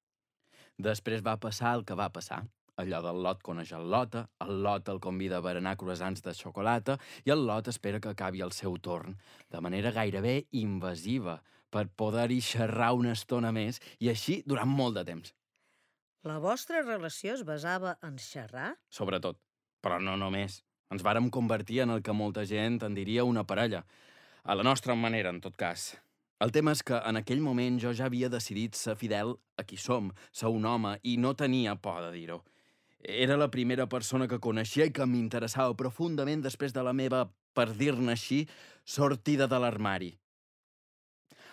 Després va passar el que va passar. Allò del Lot coneix el Lota, el Lot el convida a berenar croissants de xocolata i el Lot espera que acabi el seu torn, de manera gairebé invasiva, per poder-hi xerrar una estona més i així durant molt de temps. La vostra relació es basava en xerrar? Sobretot. Però no només. Ens vàrem convertir en el que molta gent en diria una parella. A la nostra manera, en tot cas. El tema és que en aquell moment jo ja havia decidit ser fidel a qui som, ser un home, i no tenia por de dir-ho. Era la primera persona que coneixia i que m'interessava profundament després de la meva, per dir-ne així, sortida de l'armari.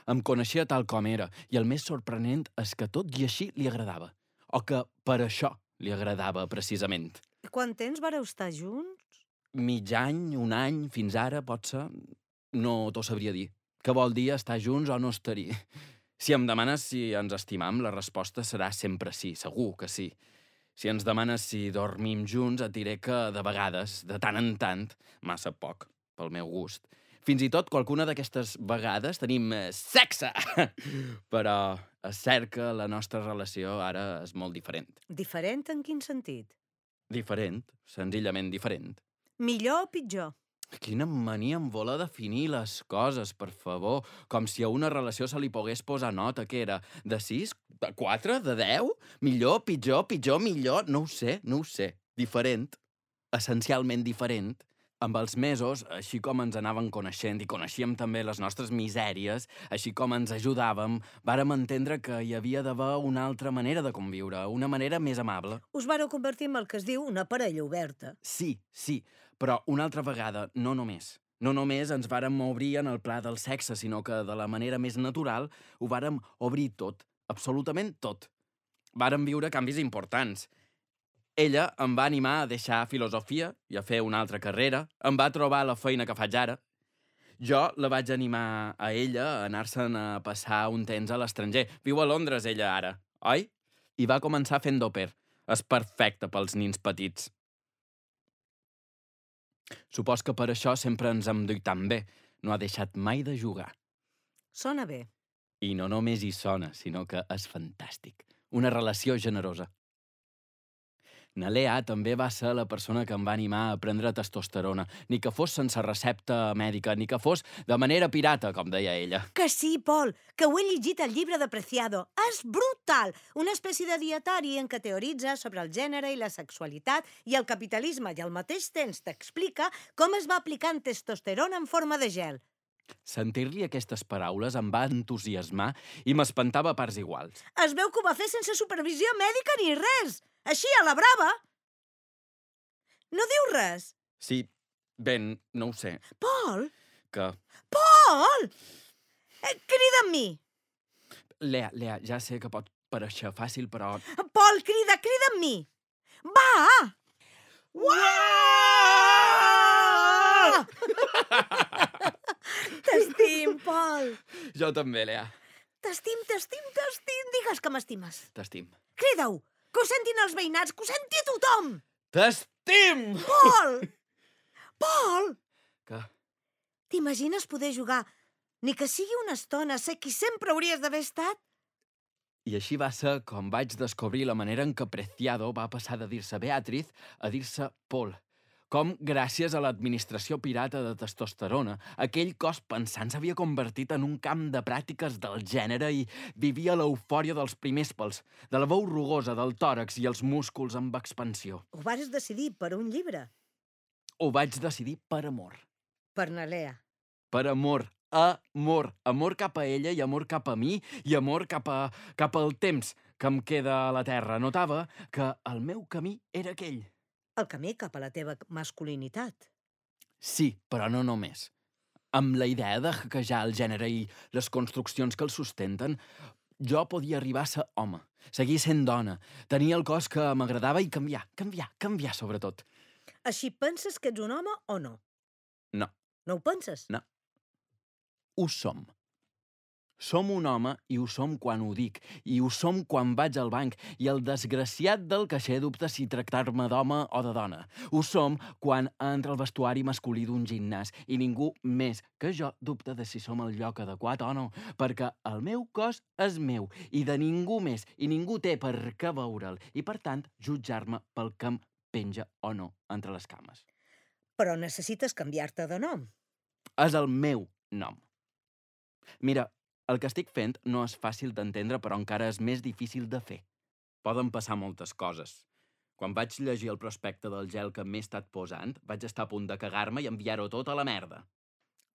Em coneixia tal com era, i el més sorprenent és que tot i així li agradava. O que per això li agradava, precisament. I quant temps vareu estar junts? Mig any, un any, fins ara, pot ser... No t'ho sabria dir. Què vol dir estar junts o no estar-hi? Si em demanes si ens estimam, la resposta serà sempre sí, segur que sí. Si ens demanes si dormim junts, et diré que de vegades, de tant en tant, massa poc, pel meu gust. Fins i tot qualcuna d'aquestes vegades tenim eh, sexe! Però és cert que la nostra relació ara és molt diferent. Diferent en quin sentit? Diferent, senzillament diferent. Millor o pitjor? Quina mania en voler definir les coses, per favor. Com si a una relació se li pogués posar nota, que era de sis, de quatre, de deu? Millor, pitjor, pitjor, millor... No ho sé, no ho sé. Diferent, essencialment diferent. Amb els mesos, així com ens anàvem coneixent i coneixíem també les nostres misèries, així com ens ajudàvem, vàrem entendre que hi havia d'haver una altra manera de conviure, una manera més amable. Us vareu convertir en el que es diu una parella oberta. Sí, sí, però una altra vegada, no només. No només ens vàrem obrir en el pla del sexe, sinó que de la manera més natural ho vàrem obrir tot, absolutament tot. Vàrem viure canvis importants. Ella em va animar a deixar filosofia i a fer una altra carrera. Em va trobar la feina que faig ara. Jo la vaig animar a ella a anar-se'n a passar un temps a l'estranger. Viu a Londres, ella, ara, oi? I va començar fent d'òper. És perfecte pels nins petits. Supos que per això sempre ens hem duit tan bé. No ha deixat mai de jugar. Sona bé. I no només hi sona, sinó que és fantàstic. Una relació generosa. Na Lea també va ser la persona que em va animar a prendre testosterona, ni que fos sense recepta mèdica, ni que fos de manera pirata, com deia ella. Que sí, Pol, que ho he llegit al llibre de Preciado. És brutal! Una espècie de dietari en què teoritza sobre el gènere i la sexualitat i el capitalisme i al mateix temps t'explica com es va aplicant testosterona en forma de gel. Sentir-li aquestes paraules em va entusiasmar i m'espantava a parts iguals. Es veu que ho va fer sense supervisió mèdica ni res. Així, a la brava. No diu res? Sí, ben, no ho sé. Pol? Que... Pol! Eh, crida amb mi. Lea, Lea, ja sé que pot pareixer fàcil, però... Pol, crida, crida amb mi. Va! Uau! T'estim, Pol. Jo també, Lea. T'estim, t'estim, t'estim. Digues que m'estimes. T'estim. Crida-ho. Que ho sentin els veïnats, que ho senti tothom! T'estim! Pol! Pol! Què? T'imagines poder jugar, ni que sigui una estona, ser qui sempre hauries d'haver estat? I així va ser com vaig descobrir la manera en què Preciado va passar de dir-se Beatriz a dir-se Pol. com, gràcies a l'administració pirata de testosterona, aquell cos pensant s'havia convertit en un camp de pràctiques del gènere i vivia l'eufòria dels primers pèls, de la veu rugosa del tòrax i els músculs amb expansió. Ho vas decidir per un llibre. Ho vaig decidir per amor. Per na Lea. Per amor. Amor. Amor cap a ella i amor cap a mi i amor cap, a, cap al temps que em queda a la Terra. Notava que el meu camí era aquell. El camí cap a la teva masculinitat. Sí, però no només. Amb la idea de hackejar el gènere i les construccions que el sustenten, jo podia arribar a ser home, seguir sent dona, tenir el cos que m'agradava i canviar, canviar, canviar sobretot. Així penses que ets un home o no? No. No ho penses? No. Ho som. Som un home i ho som quan ho dic, i ho som quan vaig al banc, i el desgraciat del caixer dubta si tractar-me d'home o de dona. Ho som quan entra el vestuari masculí d'un gimnàs i ningú més que jo dubta de si som el lloc adequat o no, perquè el meu cos és meu i de ningú més, i ningú té per què veure'l, i per tant jutjar-me pel que em penja o no entre les cames. Però necessites canviar-te de nom. És el meu nom. Mira, el que estic fent no és fàcil d'entendre, però encara és més difícil de fer. Poden passar moltes coses. Quan vaig llegir el prospecte del gel que m'he estat posant, vaig estar a punt de cagar-me i enviar-ho tot a la merda.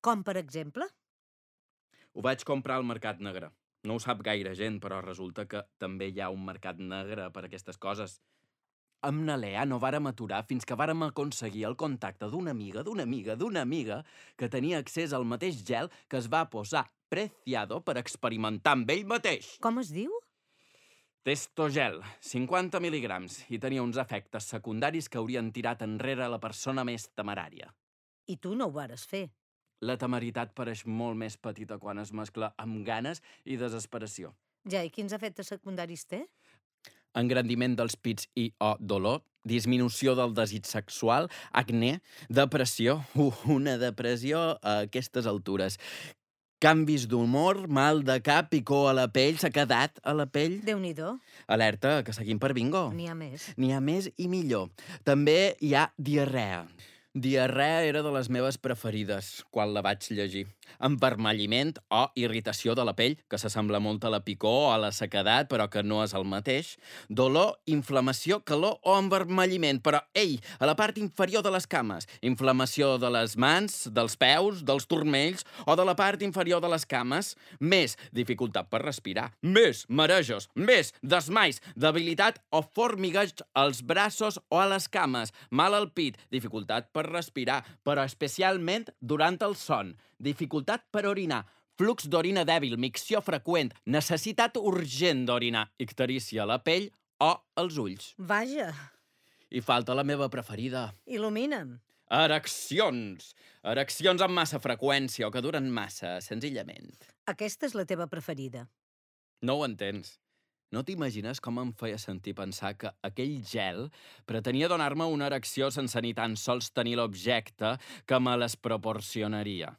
Com, per exemple? Ho vaig comprar al Mercat Negre. No ho sap gaire gent, però resulta que també hi ha un mercat negre per aquestes coses. Amb na Lea no vàrem aturar fins que vàrem aconseguir el contacte d'una amiga, d'una amiga, d'una amiga que tenia accés al mateix gel que es va posar Preciado per experimentar amb ell mateix. Com es diu? Testogel, cinquanta mil·ligrams, i tenia uns efectes secundaris que haurien tirat enrere la persona més temerària. I tu no ho vares fer. La temeritat pareix molt més petita quan es mescla amb ganes i desesperació. Ja, i quins efectes secundaris té? Engrandiment dels pits i o dolor, disminució del desig sexual, acné, depressió, uh, una depressió a aquestes altures, canvis d'humor, mal de cap, picor a la pell, sequedat a la pell. Déu-n'hi-do. Alerta, que seguim per bingo. N'hi ha més. N'hi ha més i millor. També hi ha diarrea. Diarrea era de les meves preferides quan la vaig llegir. Envermelliment o irritació de la pell, que s'assembla molt a la picor o a la sequedat, però que no és el mateix. Dolor, inflamació, calor o envermelliment, però, ei, a la part inferior de les cames. Inflamació de les mans, dels peus, dels turmells o de la part inferior de les cames. Més dificultat per respirar. Més marejos. Més desmais. Debilitat o formigueig als braços o a les cames. Mal al pit. Dificultat per respirar, però especialment durant el son. Dificultat per orinar, flux d'orina dèbil, micció freqüent, necessitat urgent d'orinar, icterícia a la pell o als ulls. Vaja. I falta la meva preferida. Il·lumina'm. Ereccions. Ereccions amb massa freqüència o que duren massa, senzillament. Aquesta és la teva preferida. No ho entens. No t'imagines com em feia sentir pensar que aquell gel pretenia donar-me una erecció sense ni tan sols tenir l'objecte que me les proporcionaria.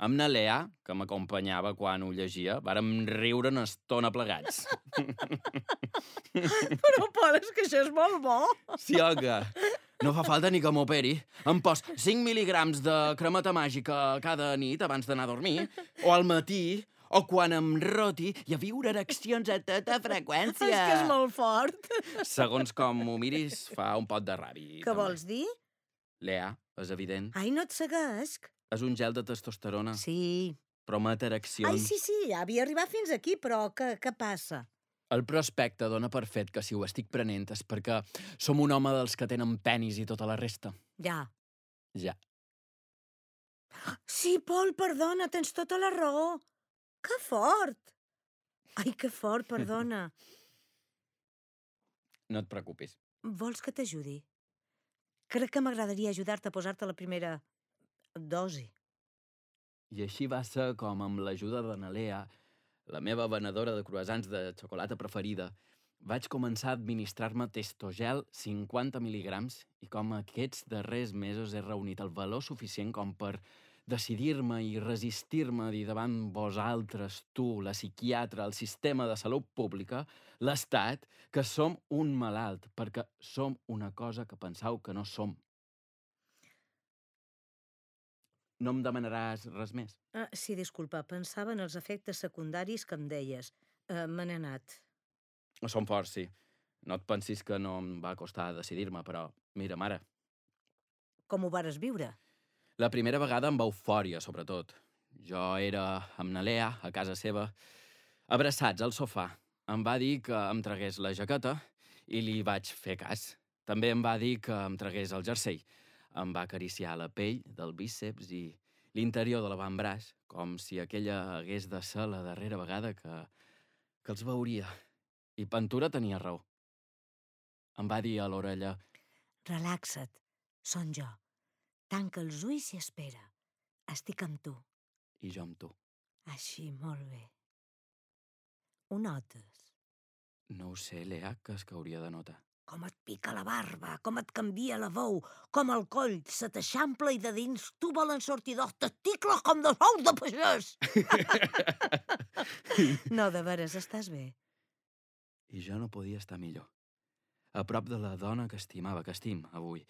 Amb na Lea, que m'acompanyava quan ho llegia, vàrem riure una estona plegats. Però, Pol, és que això és molt bo. Sí, oga. No fa falta ni que m'operi. Em pos cinc mil·ligrams de cremata màgica cada nit abans d'anar a dormir, o al matí, o quan em roti i a viure ereccions a tota freqüència. És que és molt fort. Segons com ho miris, fa un pot de ràbi. Què també. vols dir? Lea, és evident. Ai, no et seguesc. És un gel de testosterona. Sí. Promet ereccions. Ai, sí, sí, ja havia arribat fins aquí, però què, què passa? El prospecte dona per fet que si ho estic prenent és perquè som un home dels que tenen penis i tota la resta. Ja. Ja. Sí, Pol, perdona, tens tota la raó. Que fort! Ai, que fort, perdona. No et preocupis. Vols que t'ajudi? Crec que m'agradaria ajudar-te a posar-te la primera dosi. I així va ser com, amb l'ajuda de na Lea, la meva venedora de croissants de xocolata preferida, vaig començar a administrar-me testogel cinquanta mil·ligrams i com aquests darrers mesos he reunit el valor suficient com per decidir-me i resistir-me a dir davant vosaltres, tu, la psiquiatra, el sistema de salut pública, l'Estat, que som un malalt, perquè som una cosa que pensau que no som. No em demanaràs res més? Ah, sí, disculpa, pensava en els efectes secundaris que em deies. Uh, Me n'he anat. Són forts, sí. No et pensis que no em va costar decidir-me, però mira, mare, Com ho vares viure? la primera vegada amb eufòria, sobretot. Jo era amb na Lea, a casa seva, abraçats al sofà. Em va dir que em tragués la jaqueta i li vaig fer cas. També em va dir que em tragués el jersei. Em va acariciar la pell del bíceps i l'interior de l'avantbraç, com si aquella hagués de ser la darrera vegada que, que els veuria. I Ventura tenia raó. Em va dir a l'orella: Relaxa't, són jo. Tanca els ulls i espera. Estic amb tu. i jo amb tu. Així, molt bé. Ho notes? No ho sé, Lea, que és que hauria de notar. Com et pica la barba, com et canvia la veu, com el coll se t'eixampla i de dins tu volen sortir dos testicles com dos ous de pagès. No, de veres, estàs bé? I jo no podia estar millor. A prop de la dona que estimava, que estim, avui.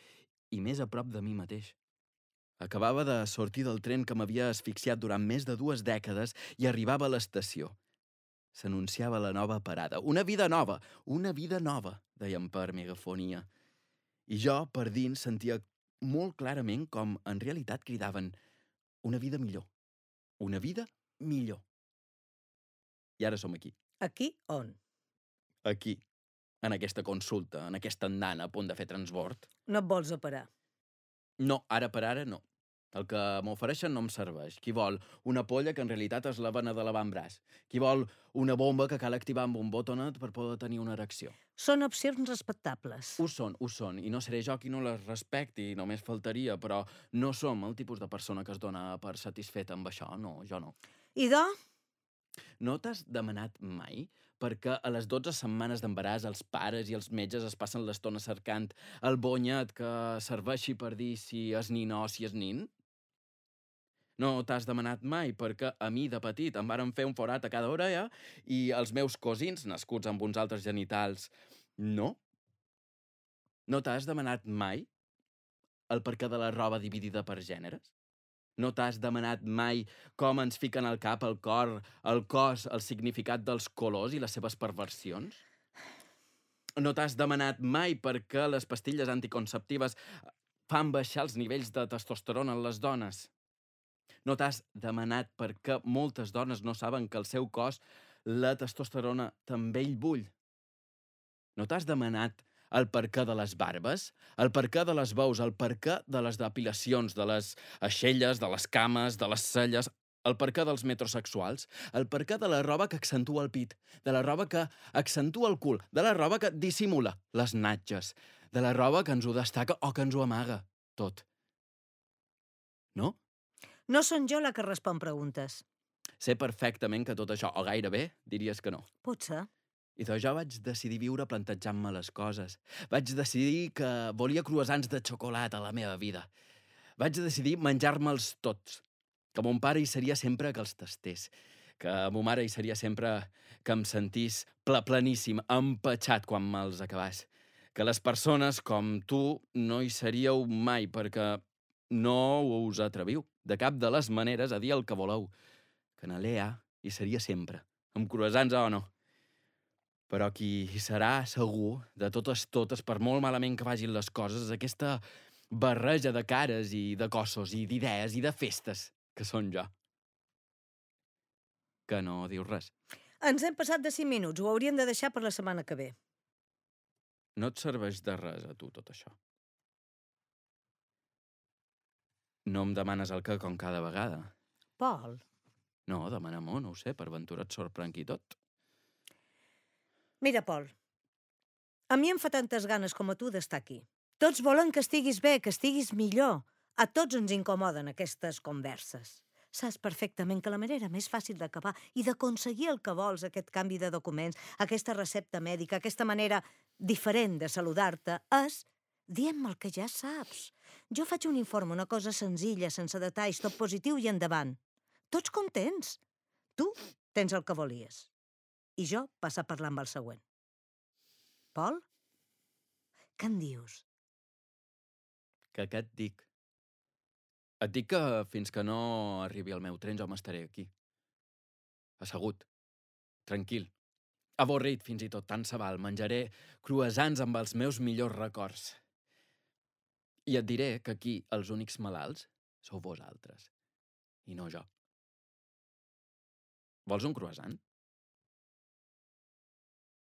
I més a prop de mi mateix. Acabava de sortir del tren que m'havia asfixiat durant més de dues dècades i arribava a l'estació. S'anunciava la nova parada. Una vida nova, una vida nova, deien per megafonia. I jo, per dins, sentia molt clarament com en realitat cridaven una vida millor. Una vida millor. I ara som aquí. Aquí on? Aquí. En aquesta consulta, en aquesta andana a punt de fer transbord. No et vols operar? No, ara per ara no. El que m'ofereixen no em serveix. Qui vol una polla que en realitat és la vena de l'avantbraç? Qui vol una bomba que cal activar amb un botonet per poder tenir una erecció? Són opcions respectables. Ho són, ho són, i no seré jo qui no les respecti, només faltaria, però no som el tipus de persona que es dona per satisfeta amb això, no, jo no. Idò? No t'has demanat mai perquè a les dotze setmanes d'embaràs els pares i els metges es passen l'estona cercant el bonyet que serveixi per dir si és nin o si és nin? No t'has demanat mai perquè a mi de petit em varen fer un forat a cada orella i els meus cosins, nascuts amb uns altres genitals, no? No t'has demanat mai el perquè de la roba dividida per gèneres? No t'has demanat mai com ens fiquen al cap, el cor, el cos, el significat dels colors i les seves perversions? No t'has demanat mai per què les pastilles anticonceptives fan baixar els nivells de testosterona en les dones? No t'has demanat per què moltes dones no saben que el seu cos, la testosterona, també el bull? No t'has demanat el perquè de les barbes, el perquè de les veus, el perquè de les depilacions, de les aixelles, de les cames, de les celles, el perquè dels metrosexuals, el perquè de la roba que accentua el pit, de la roba que accentua el cul, de la roba que dissimula les natges, de la roba que ens ho destaca o que ens ho amaga, tot. No? No són jo la que respon preguntes. Sé perfectament que tot això, o gairebé, diries que no. Potser. I doncs jo vaig decidir viure plantejant-me les coses. Vaig decidir que volia croissants de xocolata a la meva vida. Vaig decidir menjar-me'ls tots. Que mon pare hi seria sempre que els tastés. Que mo mare hi seria sempre que em sentís ple pleníssim, empatxat quan me'ls acabàs. Que les persones com tu no hi seríeu mai perquè no us atreviu de cap de les maneres a dir el que voleu. Que na Lea hi seria sempre, amb croissants o no. Però qui hi serà segur, de totes totes, per molt malament que vagin les coses, és aquesta barreja de cares i de cossos i d'idees i de festes que són jo. Que no dius res. Ens hem passat de cinc minuts. Ho hauríem de deixar per la setmana que ve. No et serveix de res a tu tot això. No em demanes el que com cada vegada. Pol. No, demana-m'ho, no ho sé, per ventura et sorprengui tot. Mira, Pol, a mi em fa tantes ganes com a tu d'estar aquí. Tots volen que estiguis bé, que estiguis millor. A tots ens incomoden aquestes converses. Saps perfectament que la manera més fàcil d'acabar i d'aconseguir el que vols, aquest canvi de documents, aquesta recepta mèdica, aquesta manera diferent de saludar-te, és dient-me el que ja saps. Jo faig un informe, una cosa senzilla, sense detalls, tot positiu i endavant. Tots contents. Tu tens el que volies. I jo passa a parlar amb el següent. Pol? Què en dius? Que què et dic? Et dic que fins que no arribi el meu tren jo m'estaré aquí. Assegut. Tranquil. Avorrit fins i tot, tant se val. Menjaré croissants amb els meus millors records. I et diré que aquí els únics malalts sou vosaltres, i no jo. Vols un croissant?